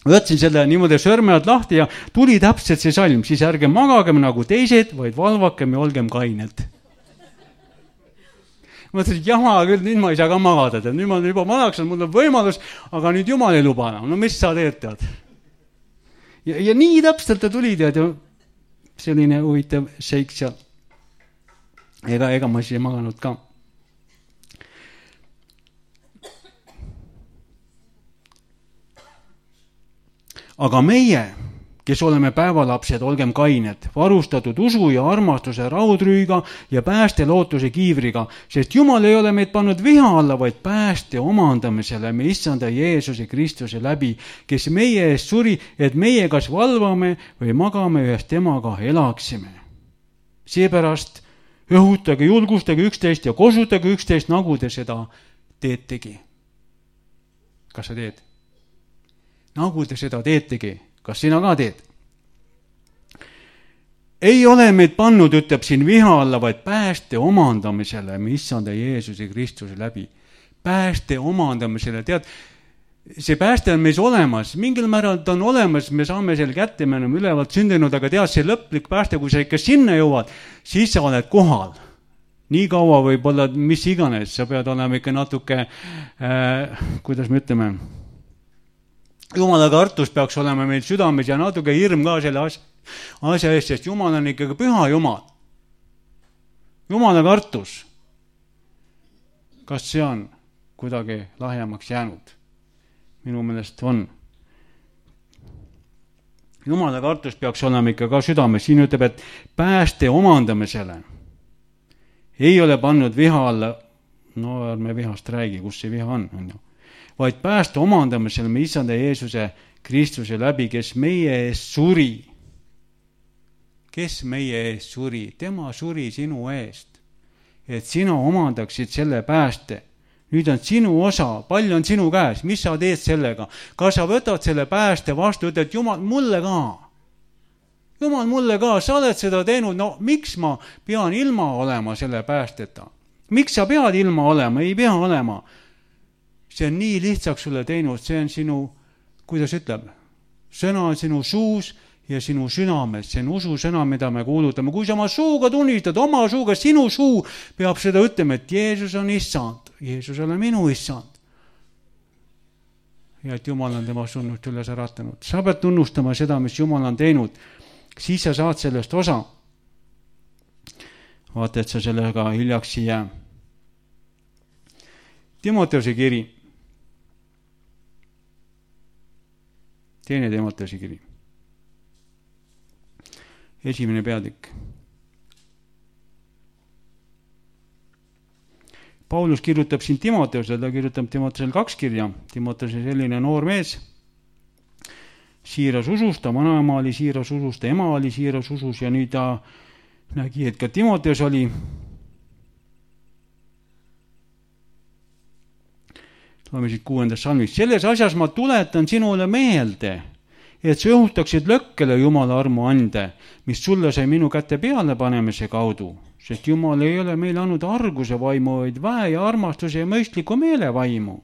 Võtsin selle niimoodi sõrmead lahti ja tuli täpselt see salm, siis ärge magagem nagu teised, vaid valvakem ja olgem kained. Mõtlesin, et jama küll, nüüd ma ei saa ka magada, tead. Nüüd ma olen juba vanaks, mul on võimalus, aga nüüd Jumal ei luba enam. Mis sa teed, tead? Ja nii täpselt ta tuli, tead, ja selline huvitav seik seal. Ega ma siis ei maganud ka. Aga meie, kes oleme päevalapsed, olgem kained, varustatud usu ja armastuse raudrüüga ja pääste lootuse kiivriga, sest Jumal ei ole meid pannud viha alla, vaid pääste omandamisele me issanda Jeesuse Kristuse läbi, kes meie eest suri, et meie kas valvame või magame ühes temaga elaksime. Seepärast õhutage, julgustage üksteist ja kosutage üksteist, nagu te seda teetegi. Kas sa teed? Nagu te seda teetegi. Kas sina ka teed? Ei ole meid pannud, ütleb siin viha alla, vaid pääste omandamisele, me issanda Jeesuse Kristuse läbi. Pääste omandamisele, tead, see pääste on meis olemas, mingil määral ta on olemas, me saame selle kätte, me oleme ülevalt sündinud, aga tead, see lõplik pääste, kui sa ikka sinna jõuad, siis sa oled kohal. Nii kaua võib-olla, mis iganes, sa pead olema ikka natuke, kuidas me ütleme, Jumala kartus peaks olema meil südames ja natuke hirm ka selle asja eest, sest Jumal on ikkagi püha Jumal. Jumala kartus. Kas see on kuidagi lahjemaks jäänud? Minu meelest on. Jumala kartus peaks olema ikka ka südames. Siin ütleb, et pääste omandamisele ei ole pannud viha alla. Ärme vihast räägi, kus see viha on ju. Vaid pääste omandamisel me issanda Jeesuse Kristuse läbi, kes meie eest suri. Kes meie eest suri? Tema suri sinu eest, et sina omandaksid selle pääste. Nüüd on sinu osa, palju on sinu käes, mis sa teed sellega? Kas sa võtad selle pääste vastu, ütled, Jumal, mulle ka. Jumal, mulle ka, sa oled seda teinud, miks ma pean ilma olema selle päästeta? Miks sa pead ilma olema? Ei pea olema. See on nii lihtsaks sulle teinud, see on sinu, kuidas ütleb, sõna on sinu suus ja sinu südames, see on usu sõna, mida me kuulutame. Kui sa oma suuga tunnistad, oma suuga, sinu suu peab seda ütlema, et Jeesus on issand, Jeesus ole minu issand. Ja et Jumal on tema sunnust üles äratanud. Sa pead tunnustama seda, mis Jumal on teinud, siis sa saad sellest osa. Vaata, et sa sellega hiljaks ei jää. Timoteuse kiri. Teine Timoteuse kiri. 1. peatükk. Paulus kirjutab siin Timoteusele, ta kirjutab Timoteusele 2 kirja. Timoteus on selline noor mees, siiras usus, ta vanaema oli siiras usus, ta ema oli siiras usus ja nüüd ta nägi, et ka Timoteus oli. Loeme siit 6. salmist. Selles asjas ma tuletan sinule meelde, et sa õhutaksid lõkkele Jumala armu ande, mis sulle sai minu kätte peale panemise kaudu, sest Jumal ei ole meile andnud arguse vaimu, vaid väe ja armastuse ja mõistliku meele vaimu.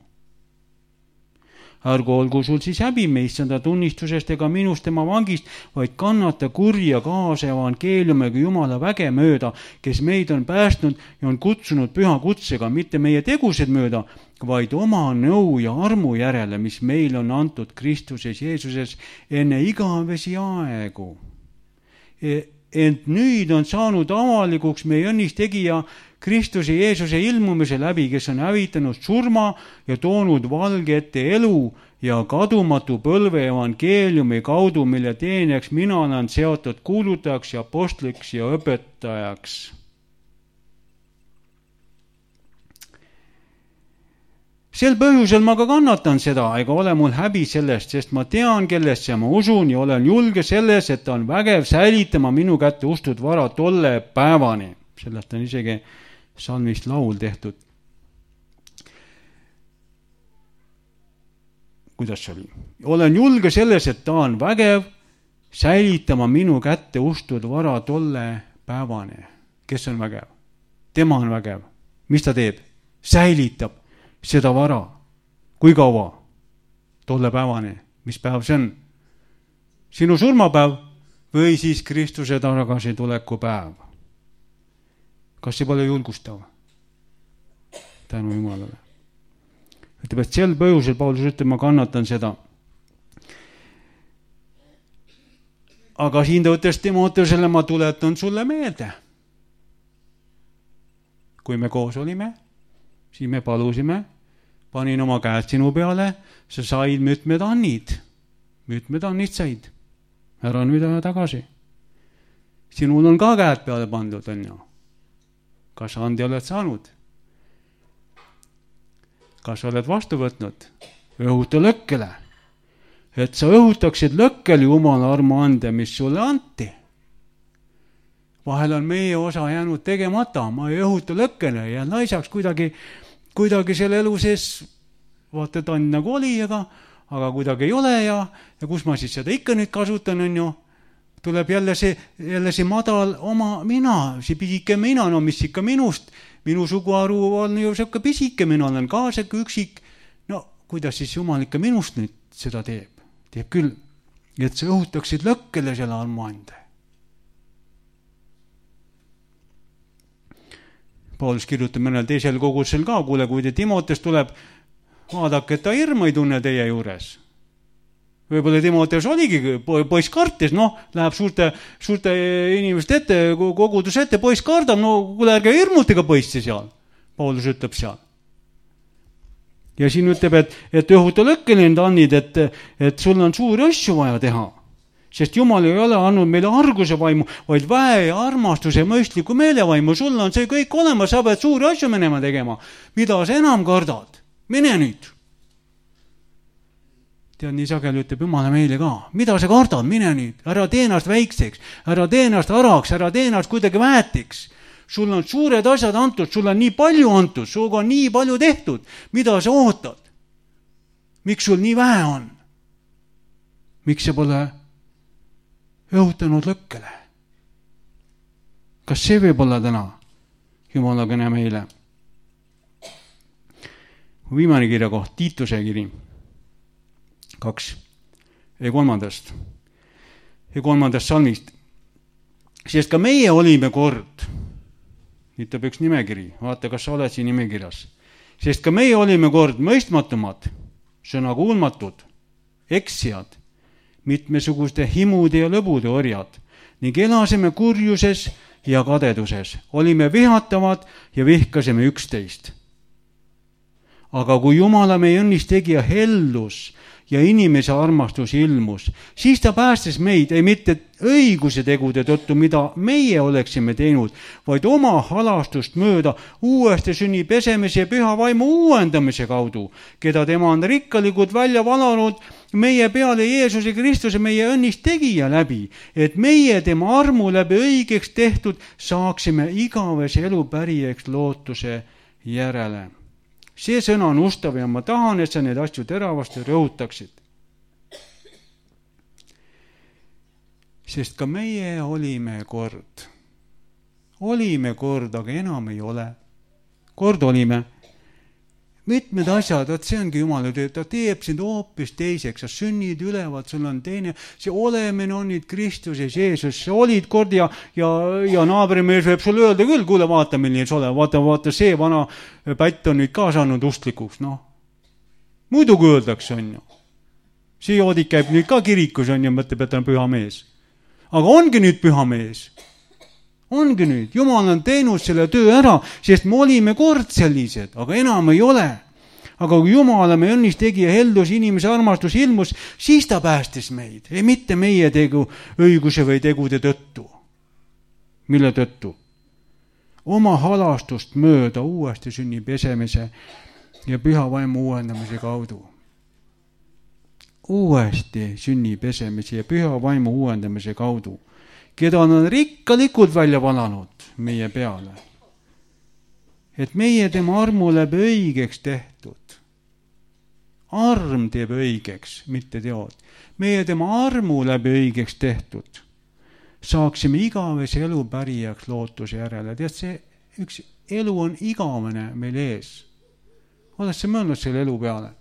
Ärgu olgu sul siis häbi issanda tunnistusest ega minust tema vangist, vaid kannata kurja kaasa evangeeliumiga Jumala väge mööda, kes meid on päästnud ja on kutsunud püha kutsega, mitte meie tegused mööda, vaid oma nõu ja armu järele, mis meil on antud Kristuses Jeesuses enne igavesi aegu. Ent nüüd on saanud avalikuks meie õnnistegija Kristuse Jeesuse ilmumise läbi, kes on hävitanud surma ja toonud valge ette elu ja kadumatu põlve evangeeliumi kaudu, mille teenijaks mina olen seotud kuulutajaks ja apostliks ja õpetajaks. Sel põhjusel ma ka kannatan seda, ega ole mul häbi sellest, sest ma tean, kellesse ma usun ja olen julge selles, et ta on vägev säilitama minu kätte ustud vara tolle päevani. Sellest on isegi salmist laul tehtud. Kuidas see oli? Olen julge selles, et ta on vägev säilitama minu kätte ustud vara tolle päevani. Kes on vägev? Tema on vägev. Mis ta teeb? Säilitab seda vara. Kui kaua? Tolle päevani. Mis päev see on? Sinu surmapäev või siis Kristuse tagasi tuleku päev? Kas see pole julgustav? Tänu Jumalale. Ütleb, et sel põhjusel Paulus ütleb, ma kannatan seda. Aga siin ta ütles Timoteusele, ma tuletan sulle meelde. Kui me koos olime, siis me palusime, panin oma käed sinu peale, sa said mitmed annid said. Ära nüüd aja tagasi. Sinul on ka käed peale pandud, on ju. Kas andi oled saanud? Kas oled vastu võtnud? Õhuta lõkkele. Et sa õhutaksid lõkkele Jumala armu ande, mis sulle anti. Vahel on meie osa jäänud tegemata, ma ei õhuta lõkkele ja naisaks kuidagi selle elu sees, vaata, ta on nagu oli, aga kuidagi ei ole ja kus ma siis seda ikka nüüd kasutan, on ju. Tuleb jälle see madal oma mina, see pisike mina, no mis ikka minust, minu suguharu on ju siuke pisike, mina olen ka siuke üksik. No kuidas siis Jumal ikka minust nüüd seda teeb? Teeb küll, et sa õhutaksid lõkkele selle armuande. Paulus kirjutab mõnel teisel kogudusel ka, kuule, kui te Timoteus tuleb, vaadake, et ta hirmu ei tunne teie juures. Võib-olla Timoteus oligi, poiss kartis, läheb suurte inimeste ette, kogudus ette, poiss kardab, kuule, ärge hirmutega poissi seal. Paulus ütleb seal. Ja siin ütleb, et õhuta lõkkele need annid, et sul on suuri asju vaja teha. Sest Jumal ei ole andnud meile arguse vaimu, vaid väe ja armastuse mõistliku meelevaimu. Sul on see kõik olemas, sa pead suuri asju minema tegema. Mida sa enam kardad? Mine nüüd. Tead, nii sageli ütleb Jumala meile ka. Mida sa kardad? Mine nüüd. Ära tee ennast väikseks, ära tee ennast araks, ära tee ennast kuidagi väetiks. Sul on suured asjad antud, sul on nii palju antud, suuga on nii palju tehtud. Mida sa ootad? Miks sul nii vähe on? Miks sa pole õhutanud lõkkele? Kas see võib olla täna Jumala kõne meile? Viimane kirja koht, Tiituse kiri 2 ja 3. salmist. Sest ka meie olime kord, ütleb üks nimekiri, vaata, kas sa oled siin nimekirjas. Sest ka meie olime kord mõistmatumad, sõnakuulmatud, eksijad, mitmesuguste himude ja lõbude orjad ning elasime kurjuses ja kadeduses. Olime vihatavad ja vihkasime üksteist. Aga kui Jumala meie õnnistegija hellus ja inimese armastus ilmus. Siis ta päästis meid, ei mitte õiguse tegude tõttu, mida meie oleksime teinud, vaid oma halastust mööda uuesti sünni pesemise ja püha vaimu uuendamise kaudu, keda tema on rikkalikult välja valanud meie peale Jeesuse Kristuse, meie õnnist tegija läbi, et meie tema armu läbi õigeks tehtud saaksime igavese elu pärijaks lootuse järele. See sõna on ustav ja ma tahan, et sa neid asju teravasti rõhutaksid. Sest ka meie olime kord, aga enam ei ole. Kord olime. Mitmed asjad, et see ongi Jumala töö, ta teeb sind hoopis teiseks, sa sünnid ülevad, sul on teine, see olemine on nüüd Kristuses Jeesus, sa olid kord ja naabrimees võib sulle öelda küll, kuule, vaata, milline sa ole, vaata, see vana pätt on nüüd ka saanud ustlikuks, noh. Muidugi öeldakse, on ju. See joodik käib nüüd ka kirikus, on ju, mõtleb, et on püha mees. Aga ongi nüüd püha mees. Ongi nüüd, Jumal on teinud selle töö ära, sest me olime kord sellised, aga enam ei ole. Aga kui Jumala me õnnist tegi ja heldus inimese armastus ilmus, siis ta päästis meid, ei mitte meie tegu õiguse või tegude tõttu. Mille tõttu? Oma halastust mööda uuesti sünni pesemise ja püha vaimu uuendamise kaudu. Uuesti sünni pesemise ja püha vaimu uuendamise kaudu, keda on rikkalikult välja valanud meie peale. Et meie tema armu läbi õigeks tehtud. Arm teeb õigeks, mitte teod. Meie tema armu läbi õigeks tehtud. Saaksime igavese elu pärijaks lootuse järele. Tead, see üks elu on igavene meil ees. Oled sa mõelnud selle elu peale?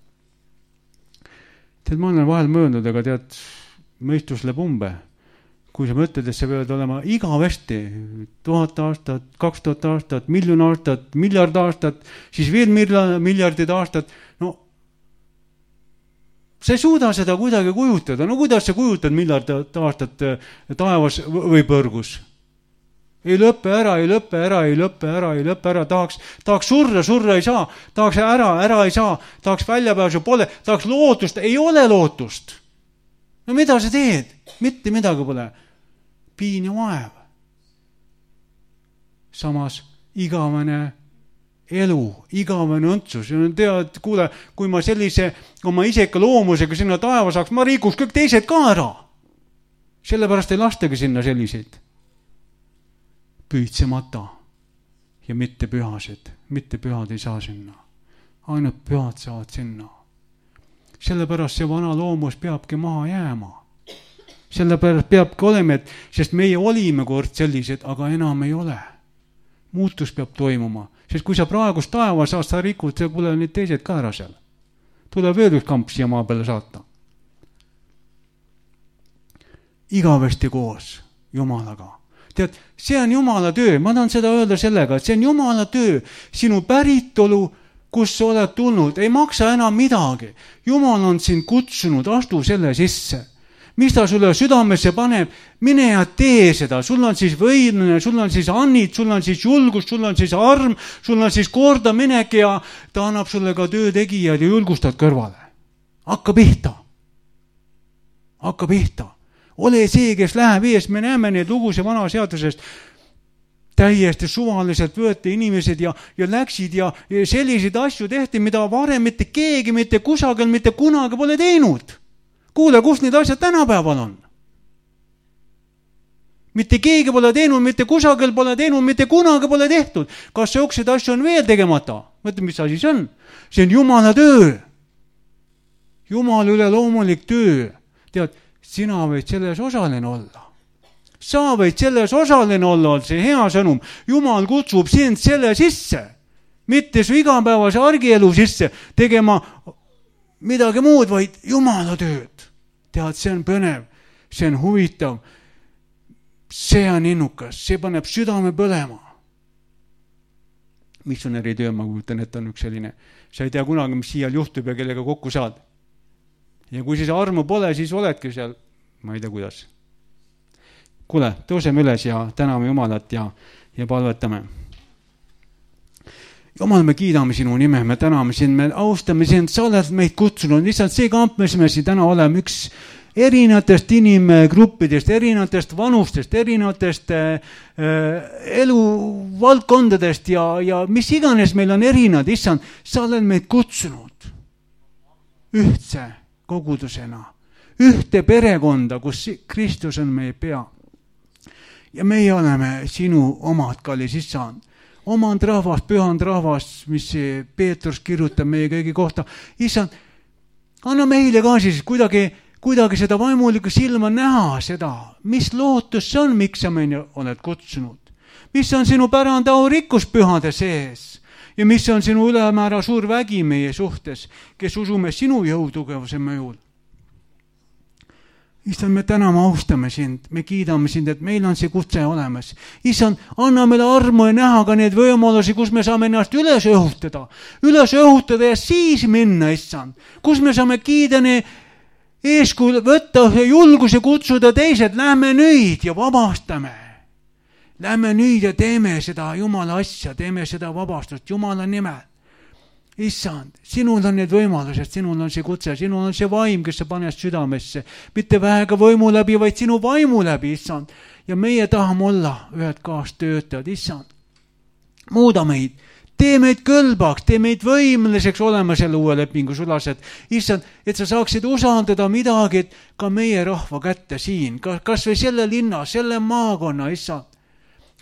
Tead, ma olen vahel mõelnud, aga tead, mõistus läheb umbe. Kui sa mõtled, et sa peavad olema igavesti 1000 aastat, 2000 aastat, miljon aastat, miljard aastat, siis veel miljardid aastat, no sa ei suuda seda kuidagi kujutada. No kuidas sa kujutad miljard aastat taevas või põrgus? Ei lõppe ära, tahaks surra ei saa, tahaks ära ei saa, tahaks väljapääsu pole, tahaks lootust, ei ole lootust. No mida sa teed? Mitte midagi pole. Piin ja vaev. Samas igavene elu, igavene õntsus. Ja tead, kuule, kui ma sellise oma iseka loomusega sinna taeva saaks, ma rikuks kõik teised ka ära. Sellepärast ei lastagi sinna selliseid. Püüdsemata ja mitte pühased. Mitte pühad ei saa sinna. Ainult pühad saavad sinna. Sellepärast see vana loomus peabki maha jääma. Sellepärast peabki olema, sest meie olime kord sellised, aga enam ei ole. Muutus peab toimuma. Sest kui sa praegust taeva saad, sa rikud, see pole nüüd teised ka ära seal. Tuleb veel üks kamp siia maa peale saata. Igavesti koos Jumalaga. Tead, see on Jumala töö. Ma tahan seda öelda sellega, et see on Jumala töö. Sinu päritolu, kus sa oled tulnud, ei maksa enam midagi. Jumal on sind kutsunud, astu selle sisse. Mis ta sulle südamesse paneb, mine ja tee seda. Sul on siis võimne, sul on siis annid, sul on siis julgus, sul on siis arm, sul on siis korda minek ja ta annab sulle ka töötegijad ja julgustad kõrvale. Hakka pihta. Ole see, kes läheb ees. Me näeme neid lugusid vana seadusest. Täiesti suvaliselt võeti inimesed ja läksid ja selliseid asju tehti, mida varem mitte keegi, mitte kusagil, mitte kunagi pole teinud. Kuule, kus need asjad tänapäeval on? Mitte keegi pole teinud, mitte kusagil pole teinud, mitte kunagi pole tehtud. Kas seokseid asju on veel tegemata? Mõtle, mis asi see on? See on Jumala töö. Jumala üle loomulik töö. Tead, sina võid selles osaline olla. Sa võid selles osaline olla, on see hea sõnum. Jumal kutsub sind selle sisse. Mitte su igapäevase argielu sisse tegema midagi muud, vaid Jumala tööd. Tead, see on põnev, see on huvitav, see on innukas, see paneb südame põlema. Missionäri töö, ma kujutan, et on üks selline. Sa ei tea kunagi, mis siia juhtub ja kellega kokku saad. Ja kui siis armu pole, siis oledki seal, ma ei tea kuidas. Kuule, tõuseme üles ja täname Jumalat ja palvetame. Jumal, me kiidame sinu nime, me täname sind, me austame sind, sa oled meid kutsunud, lihtsalt see kamp, mis me siin täna oleme, üks erinevatest inimgruppidest, erinevatest vanustest, erinevatest eluvaldkondadest ja mis iganes meil on erinevad, issand, sa oled meid kutsunud ühtse kogudusena, ühte perekonda, kus Kristus on meie pea. Ja meie oleme sinu omad, kallis issand. Omand rahvas, pühand rahvas, mis Peetrus kirjutab meie kõigi kohta. Issand, anna meile ka siis kuidagi seda vaimulikku silma näha seda, mis lootus see on, miks sa meid oled kutsunud. Mis on sinu pärand au rikkus pühade sees ja mis on sinu ülemäära suur vägi meie suhtes, kes usume sinu jõutugevuse mõjul. Issand, me täname, austame sind, me kiidame sind, et meil on see kutse olemas. Issand, anna meile armu ja näha ka need võimalusi, kus me saame ennast üles õhutada ja siis minna, issand. Kus me saame kiidani eeskuju võtta ja julguse kutsuda teised, lähme nüüd ja vabastame. Lähme nüüd ja teeme seda Jumala asja, teeme seda vabastust Jumala nimel. Issand, sinul on need võimalused, sinul on see kutse, sinul on see vaim, kes sa paned südamesse. Mitte vähega võimu läbi, vaid sinu vaimu läbi, issand. Ja meie tahame olla ühed kaastöötajad, issand. Muuda meid, tee meid kõlbaks, tee meid võimeliseks olema selle uue lepingu sulased. Issand, et sa saaksid usaldada midagi ka meie rahva kätte siin, kas või selle linna, selle maakonna, issand.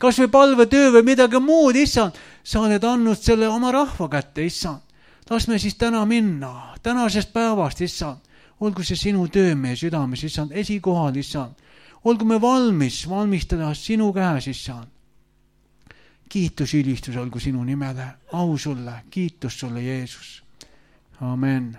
Kas või palvetöö või midagi muud, issand, sa oled andnud selle oma rahva kätte, issand. Las me siis täna minna, tänasest päevast, issand. Olgu see sinu töö meie südames, issand, esikohal, issand. Olgu me valmistada sinu käes, issand. Kiitus, ülistus olgu sinu nimele, au sulle, kiitus sulle, Jeesus. Amen.